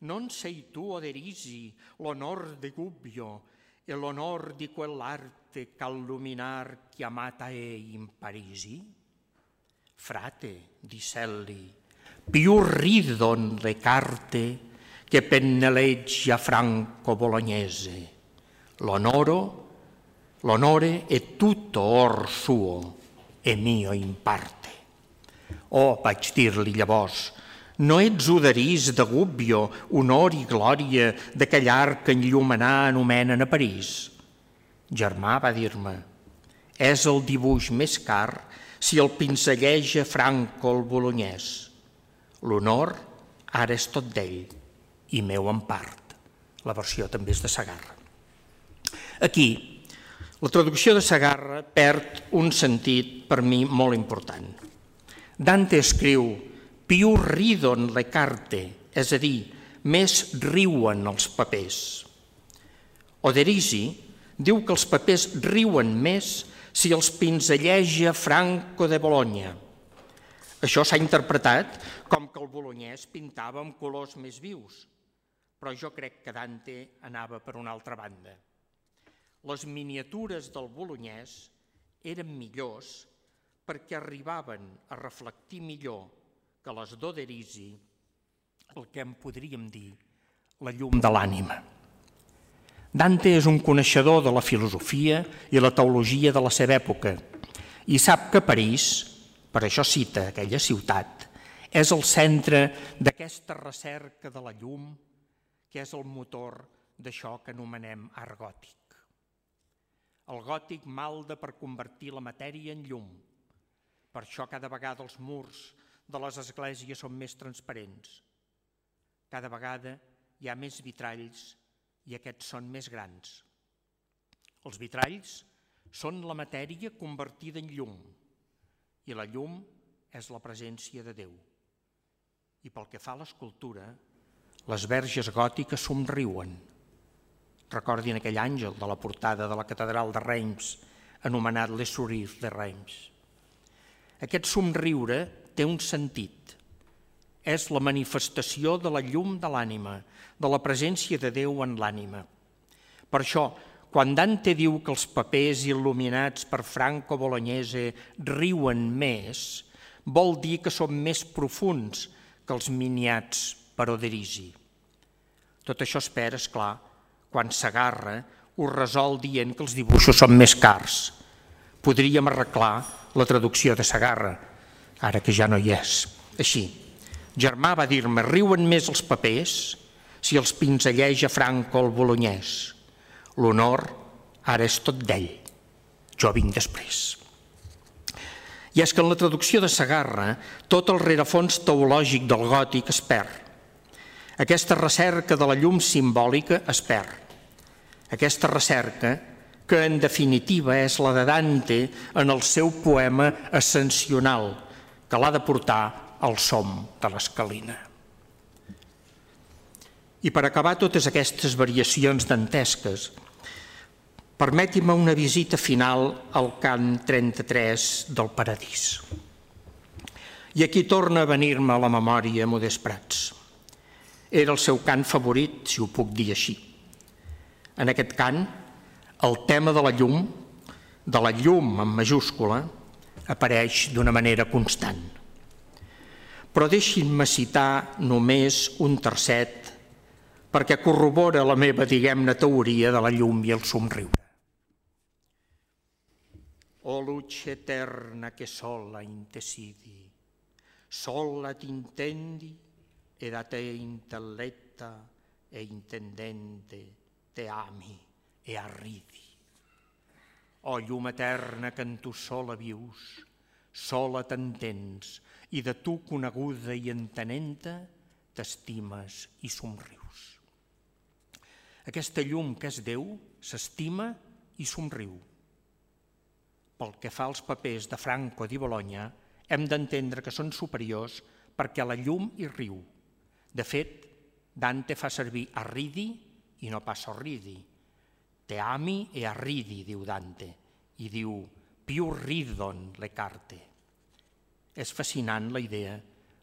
non sei tu, Oderisi, l'onor de Gubbio e l'onor di quell'arte ch'alluminar chiamata è in Parisi? Frate, disselli, più ridon le carte che pennelleggia Franco Bolognese. L'onore è tutto or suo e mio in parte». «Oh», vaig dir-li llavors, «no ets Oderís de Gubbio, honor i glòria d'aquell art que enllumenà anomenen a París?» «Germà», va dir-me, «és el dibuix més car si el pinzelleja Franco el Bolognès. L'honor ara és tot d'ell i meu en part». La versió també és de Segarra. Aquí, la traducció de Segarra perd un sentit per mi molt important. Dante escriu «più ridon le carte», és a dir, més riuen els papers. Oderisi diu que els papers riuen més si els pinzelleja Franco de Bologna. Això s'ha interpretat com que el bolognès pintava amb colors més vius, però jo crec que Dante anava per una altra banda. Les miniatures del bolognès eren millors perquè arribaven a reflectir millor que les d'Oderisi el que en podríem dir la llum de l'ànima. Dante és un coneixedor de la filosofia i la teologia de la seva època i sap que París, per això cita aquella ciutat, és el centre d'aquesta recerca de la llum que és el motor d'això que anomenem art gòtic. El gòtic malda per convertir la matèria en llum. Per això cada vegada els murs de les esglésies són més transparents. Cada vegada hi ha més vitralls i aquests són més grans. Els vitralls són la matèria convertida en llum i la llum és la presència de Déu. I pel que fa a l'escultura, les verges gòtiques somriuen. Recordin aquell àngel de la portada de la catedral de Reims anomenat Le Sourire de Reims. Aquest somriure té un sentit. És la manifestació de la llum de l'ànima, de la presència de Déu en l'ànima. Per això, quan Dante diu que els papers il·luminats per Franco Bolognese riuen més, vol dir que són més profuns que els miniats per Oderisi. Tot això es perd, esclar, quan Segarra ho resol dient que els dibuixos són més cars. Podríem arreglar la traducció de Segarra, ara que ja no hi és. Així, germà va dir-me, riuen més els papers si els pinzelleja Franco el bolognès. L'honor ara és tot d'ell. Jo vinc després. I és que en la traducció de Segarra tot el rerefons teològic del gòtic es perd. Aquesta recerca de la llum simbòlica es perd. Aquesta recerca, que en definitiva és la de Dante en el seu poema ascensional, que l'ha de portar al som de l'escalina. I per acabar totes aquestes variacions dantesques, permeti'm una visita final al cant 33 del Paradís. I aquí torna a venir-me a la memòria Modest Prats. Era el seu cant favorit, si ho puc dir així. En aquest cant, el tema de la llum en majúscula, apareix d'una manera constant. Però deixin-me citar només un tercet perquè corrobora la meva, diguem-ne, teoria de la llum i el somriure. O luce eterna che sola intesidi, sola t'intendi ed a te intelletta e intendente te ami e arridi. O llum eterna que en tu sola vius, sola t'entens i de tu coneguda i entenenta t'estimes i somrius. Aquesta llum que és Déu s'estima i somriu. Pel que fa als papers de Franco di Bologna, hem d'entendre que són superiors perquè la llum hi riu. De fet, Dante fa servir arridi i no pas sorridi. Te ami e arridi, diu Dante, i diu più ridon le carte. És fascinant la idea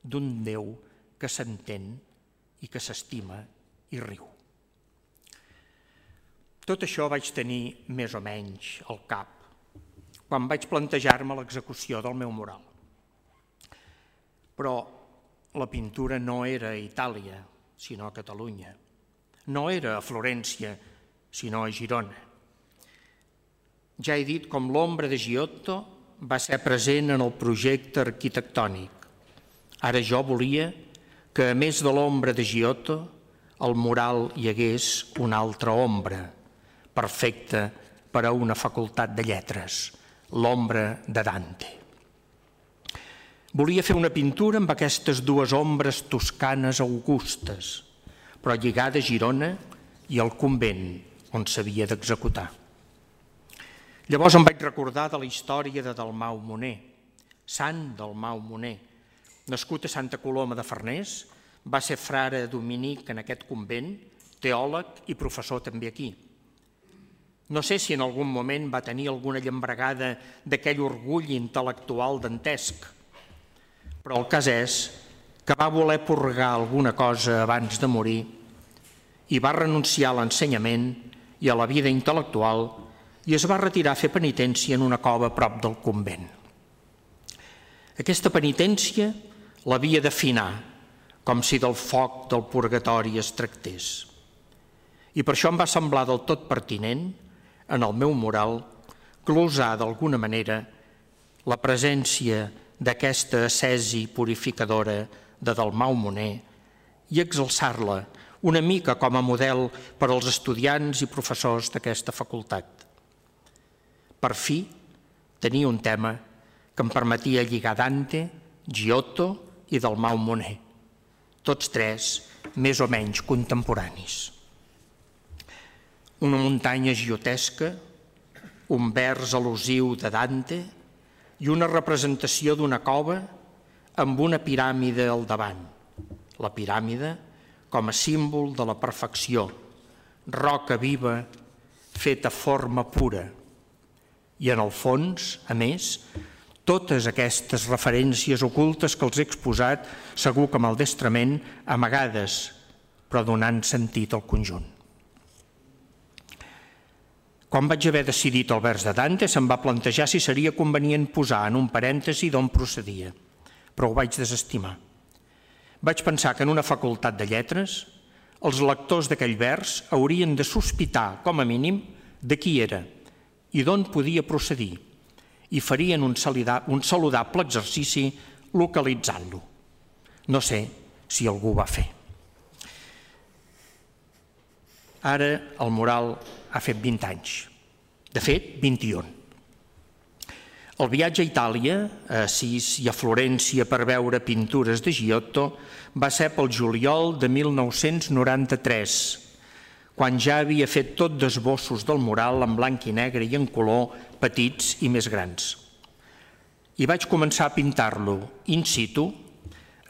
d'un Déu que s'entén i que s'estima i riu. Tot això vaig tenir més o menys al cap quan vaig plantejar-me l'execució del meu mural. Però la pintura no era a Itàlia, sinó a Catalunya. No era a Florència, sinó a Girona. Ja he dit com l'ombra de Giotto va ser present en el projecte arquitectònic. Ara jo volia que, a més de l'ombra de Giotto, al mural hi hagués una altra ombra, perfecta per a una facultat de lletres, l'ombra de Dante. Volia fer una pintura amb aquestes dues ombres toscanes augustes, però lligada a Girona i al convent on s'havia d'executar. Llavors em vaig recordar de la història de Dalmau Moner, sant Dalmau Moner. Nascut a Santa Coloma de Farners, va ser frare dominic en aquest convent, teòleg i professor també aquí. No sé si en algun moment va tenir alguna llambregada d'aquell orgull intel·lectual dantesc, però el cas és que va voler purgar alguna cosa abans de morir i va renunciar a l'ensenyament i a la vida intel·lectual i es va retirar a fer penitència en una cova a prop del convent. Aquesta penitència l'havia d'afinar, com si del foc del purgatori es tractés. I per això em va semblar del tot pertinent, en el meu mural, glosar d'alguna manera la presència d'aquesta ascesi purificadora de Dalmau Moner i exalçar-la una mica com a model per als estudiants i professors d'aquesta facultat. Per fi, tenia un tema que em permetia lligar Dante, Giotto i Dalmau Moner, tots tres més o menys contemporanis. Una muntanya giotesca, un vers al·lusiu de Dante i una representació d'una cova amb una piràmide al davant. La piràmide com a símbol de la perfecció, roca viva feta forma pura. I en el fons, a més, totes aquestes referències ocultes que els he exposat, segur que maldestrament, amagades, però donant sentit al conjunt. Quan vaig haver decidit el vers de Dante, se'm va plantejar si seria convenient posar en un parèntesi d'on procedia, però ho vaig desestimar. Vaig pensar que en una facultat de lletres els lectors d'aquell vers haurien de sospitar, com a mínim, de qui era i d'on podia procedir, i farien un saludable exercici localitzant-lo. No sé si algú ho va fer. Ara el mural ha fet 20 anys, de fet 21. El viatge a Itàlia, a Assís i a Florència per veure pintures de Giotto va ser pel juliol de 1993, quan ja havia fet tot d'esbossos del mural en blanc i negre i en color, petits i més grans. I vaig començar a pintar-lo in situ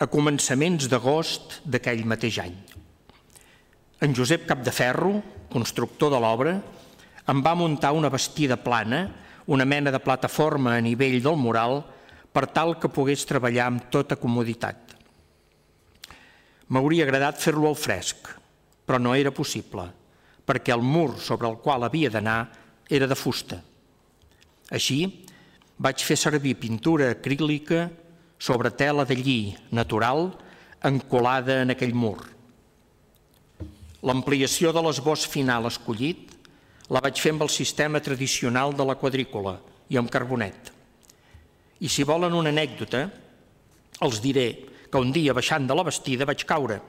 a començaments d'agost d'aquell mateix any. En Josep Capdeferro, constructor de l'obra, em va muntar una bastida plana, una mena de plataforma a nivell del mural, per tal que pogués treballar amb tota comoditat. M'hauria agradat fer-lo al fresc, però no era possible, perquè el mur sobre el qual havia d'anar era de fusta. Així, vaig fer servir pintura acrílica sobre tela de lli natural encolada en aquell mur. L'ampliació de l'esbós final escollit la vaig fer amb el sistema tradicional de la quadrícula i amb carbonet. I si volen una anècdota, els diré que un dia baixant de la bastida vaig caure,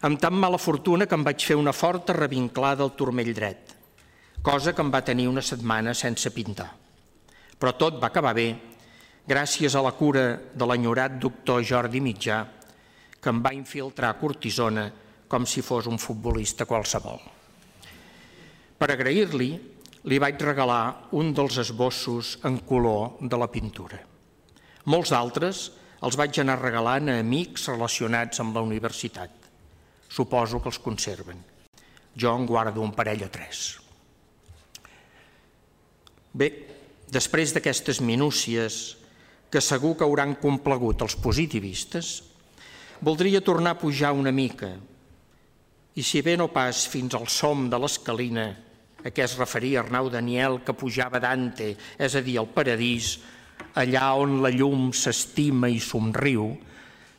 amb tan mala fortuna que em vaig fer una forta revinclada al turmell dret, cosa que em va tenir una setmana sense pintar. Però tot va acabar bé, gràcies a la cura de l'enyorat doctor Jordi Mitjà, que em va infiltrar cortisona com si fos un futbolista qualsevol. Per agrair-li, li vaig regalar un dels esbossos en color de la pintura. Molts d'altres els vaig anar regalant a amics relacionats amb la universitat. Suposo que els conserven. Jo en guardo un parell o 3. Bé, després d'aquestes minúcies que segur que hauran complagut els positivistes, voldria tornar a pujar una mica, i si bé no pas fins al som de l'escalina a què es referia Arnau Daniel que pujava Dante, és a dir, al paradís, allà on la llum s'estima i somriu,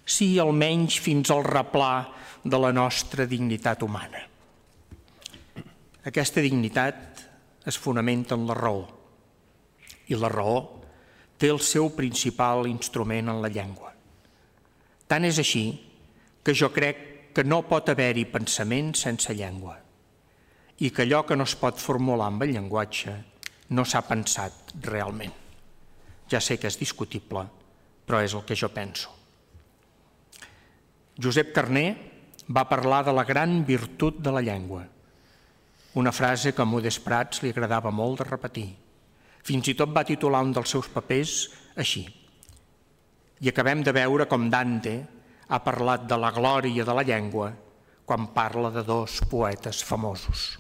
sí almenys fins al replà de la nostra dignitat humana. Aquesta dignitat es fonamenta en la raó, i la raó té el seu principal instrument en la llengua. Tant és així que jo crec que no pot haver-hi pensament sense llengua i que allò que no es pot formular amb el llenguatge no s'ha pensat realment. Ja sé que és discutible, però és el que jo penso. Josep Carner va parlar de la gran virtut de la llengua, una frase que a Modest Prats li agradava molt de repetir. Fins i tot va titular un dels seus papers així. I acabem de veure com Dante ha parlat de la glòria de la llengua quan parla de 2 poetes famosos.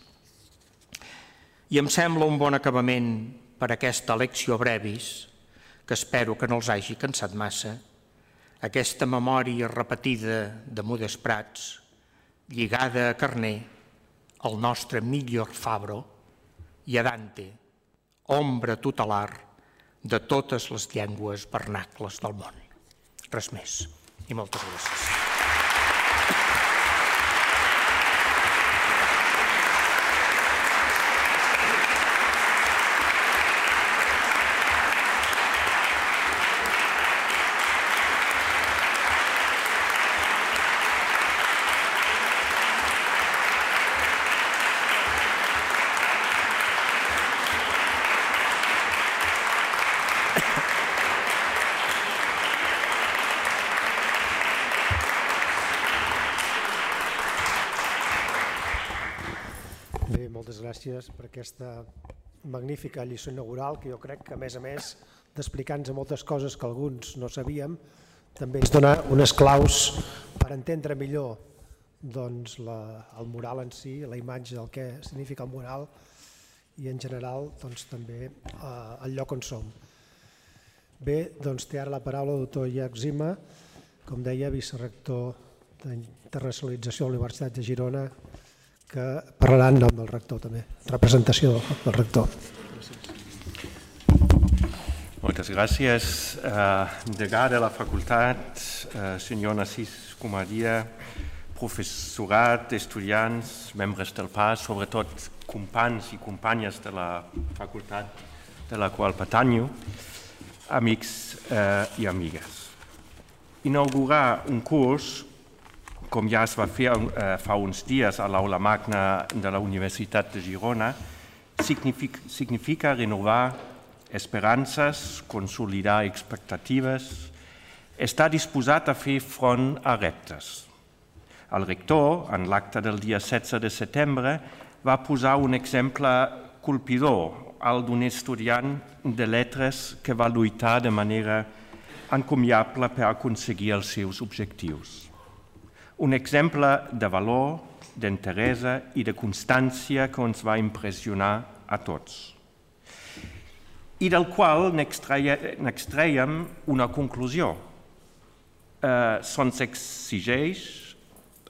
I em sembla un bon acabament per aquesta lectio brevis, que espero que no els hagi cansat massa, aquesta memòria repetida de Modest Prats, lligada a Carner, el nostre millor Fabro, i a Dante, ombra tutelar de totes les llengües vernacles del món. Res més. I moltes gràcies. Moltes gràcies per aquesta magnífica lliçó inaugural que jo crec que, a més d'explicar-nos moltes coses que alguns no sabíem, també ens dona unes claus per entendre millor el mural en si, la imatge del que significa el mural i en general també el lloc on som. Bé, doncs té ara la paraula el doctor Iac Zima, com deia, vicerector d'Internacionalització de la Universitat de Girona, que parlarà en nom del rector també, representació del rector. Moltes gràcies. Degà de la facultat, senyor Narcís Comadira, professorat, estudiants, membres del PAS, sobretot companys i companyes de la facultat de la qual pertanyo, amics i amigues. Inaugurar un curs, com ja es va fer fa uns dies a l'Aula Magna de la Universitat de Girona, significa renovar esperances, consolidar expectatives, estar disposat a fer front a reptes. El rector, en l'acte del dia 16 de setembre, va posar un exemple colpidor, el d'un estudiant de lletres que va lluitar de manera encomiable per aconseguir els seus objectius. Un exemple de valor, d'interesa i de constància que ens va impressionar a tots i del qual n'extraiem una conclusió. Se'ns exigeix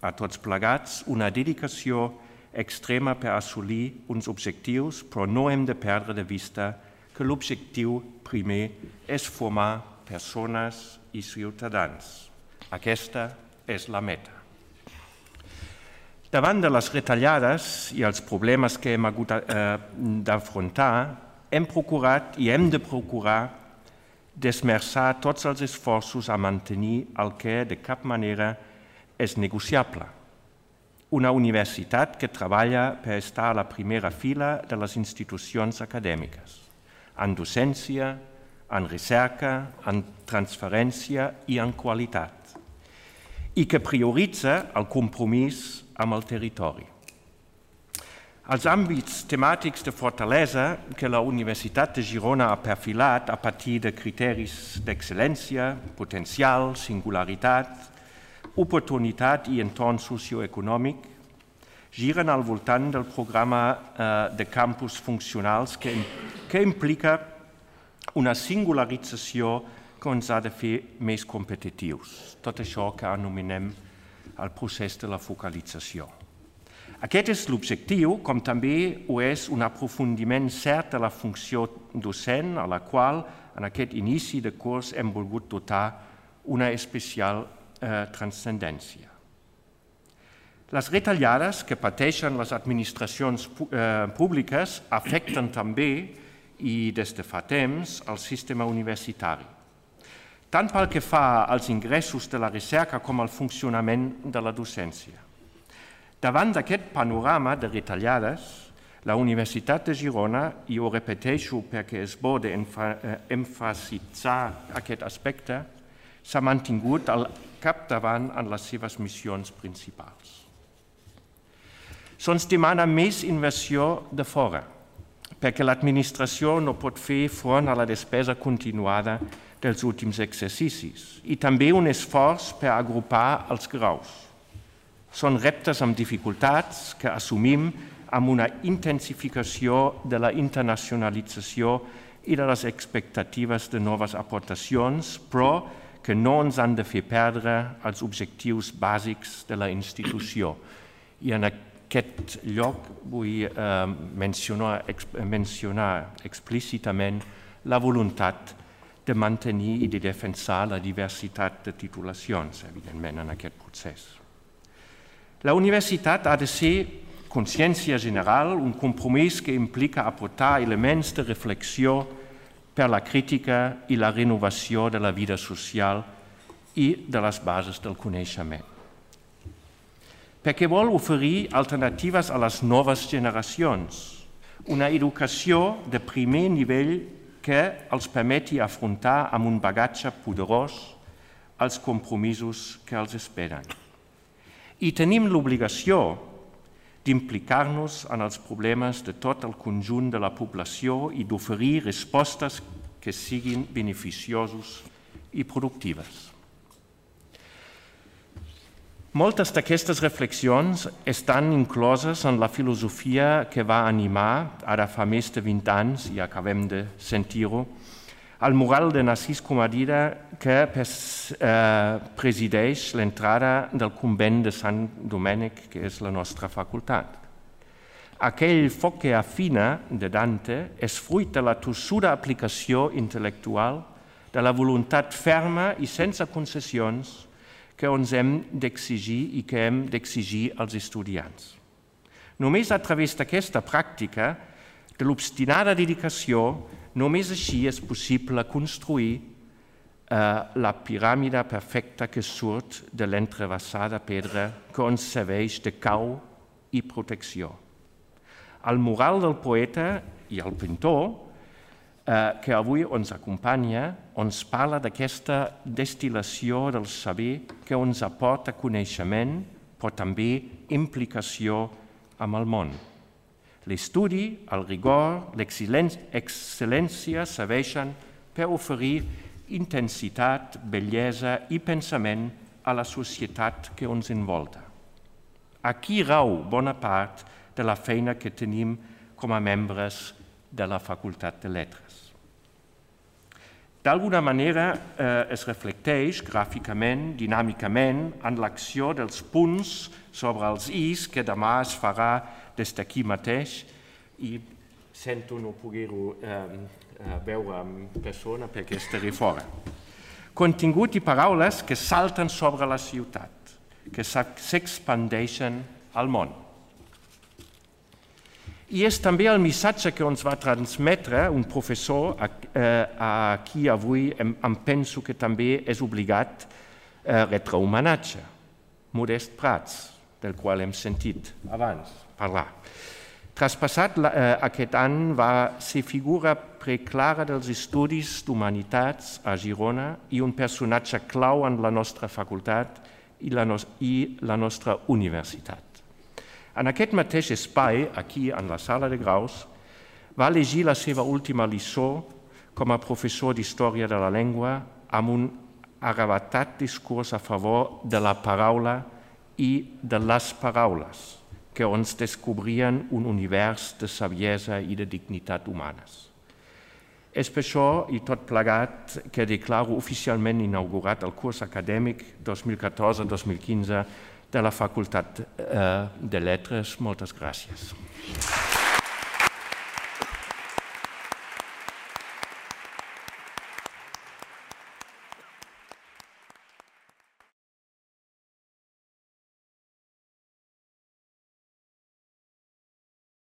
a tots plegats una dedicació extrema per assolir uns objectius, però no hem de perdre de vista que l'objectiu primer és formar persones i ciutadans. Aquesta és la meta. Davant de les retallades i els problemes que hem hagut d'afrontar, hem procurat i hem de procurar d'esmerçar tots els esforços a mantenir el que de cap manera és negociable. Una universitat que treballa per estar a la primera fila de les institucions acadèmiques, en docència, en recerca, en transferència i en qualitat, i que prioritza el compromís amb el territori. Els àmbits temàtics de fortalesa que la Universitat de Girona ha perfilat a partir de criteris d'excel·lència, potencial, singularitat, oportunitat i entorn socioeconòmic giren al voltant del programa de campus funcionals que implica una singularització que ens ha de fer més competitius. Tot això que anomenem el procés de la focalització. Aquest és l'objectiu, com també ho és un aprofundiment cert de la funció docent, a la qual en aquest inici de curs hem volgut dotar una especial transcendència. Les retallades que pateixen les administracions públiques afecten també, i des de fa temps, el sistema universitari, tant pel que fa als ingressos de la recerca com al funcionament de la docència. Davant d'aquest panorama de retallades, la Universitat de Girona, i ho repeteixo perquè és bo d'emfasitzar aquest aspecte, s'ha mantingut al capdavant en les seves missions principals. Se'ns demana més inversió de fora, perquè l'administració no pot fer front a la despesa continuada dels últims exercicis, i també un esforç per agrupar els graus. Són reptes amb dificultats que assumim amb una intensificació de la internacionalització i de les expectatives de noves aportacions, però que no ens han de fer perdre els objectius bàsics de la institució. I en aquest lloc vull mencionar explícitament la voluntat de mantenir i de defensar la diversitat de titulacions, evidentment, en aquest procés. La universitat ha de ser consciència general, un compromís que implica aportar elements de reflexió per la crítica i la renovació de la vida social i de les bases del coneixement. Perquè vol oferir alternatives a les noves generacions, una educació de primer nivell que els permeti afrontar amb un bagatge poderós els compromisos que els esperen. I tenim l'obligació d'implicar-nos en els problemes de tot el conjunt de la població i d'oferir respostes que siguin beneficiosos i productives. Moltes d'aquestes reflexions estan incloses en la filosofia que va animar, ara fa més de 20 anys, i acabem de sentir-ho, el mural de Narcís Comadira que presideix l'entrada del convent de Sant Domènec, que és la nostra facultat. Aquell foc que afina de Dante és fruit de la tossuda aplicació intel·lectual, de la voluntat ferma i sense concessions que ens hem d'exigir i que hem d'exigir als estudiants. Només a través d'aquesta pràctica, de l'obstinada dedicació, només així és possible construir la piràmide perfecta que surt de l'entrebassada pedra que ens serveix de cau i protecció. El mural del poeta i el pintor, que avui ens acompanya, ens parla d'aquesta destil·lació del saber que ens aporta coneixement, però també implicació amb el món. L'estudi, el rigor, l'excel·lència serveixen per oferir intensitat, bellesa i pensament a la societat que ens envolta. Aquí rau bona part de la feina que tenim com a membres de la Facultat de Lletres. D'alguna manera es reflecteix gràficament, dinàmicament, en l'acció dels punts sobre els is que demà es farà des d'aquí mateix i sento no poder-ho veure en persona perquè estaré fora. Contingut i paraules que salten sobre la ciutat, que s'expandeixen al món. I és també el missatge que ens va transmetre un professor a qui avui em penso que també és obligat retre homenatge, Modest Prats, del qual hem sentit abans parlar. Traspassat aquest any va ser figura preclara dels estudis d'humanitats a Girona i un personatge clau en la nostra facultat i la nostra universitat. En aquest mateix espai, aquí en la sala de graus, va llegir la seva última lliçó com a professor d'Història de la Llengua amb un arravatat discurs a favor de la paraula i de les paraules, que ens descobrien un univers de saviesa i de dignitat humanes. És per això i tot plegat que declaro oficialment inaugurat el curs acadèmic 2014-2015 de la Facultat de Lletres. Moltes gràcies.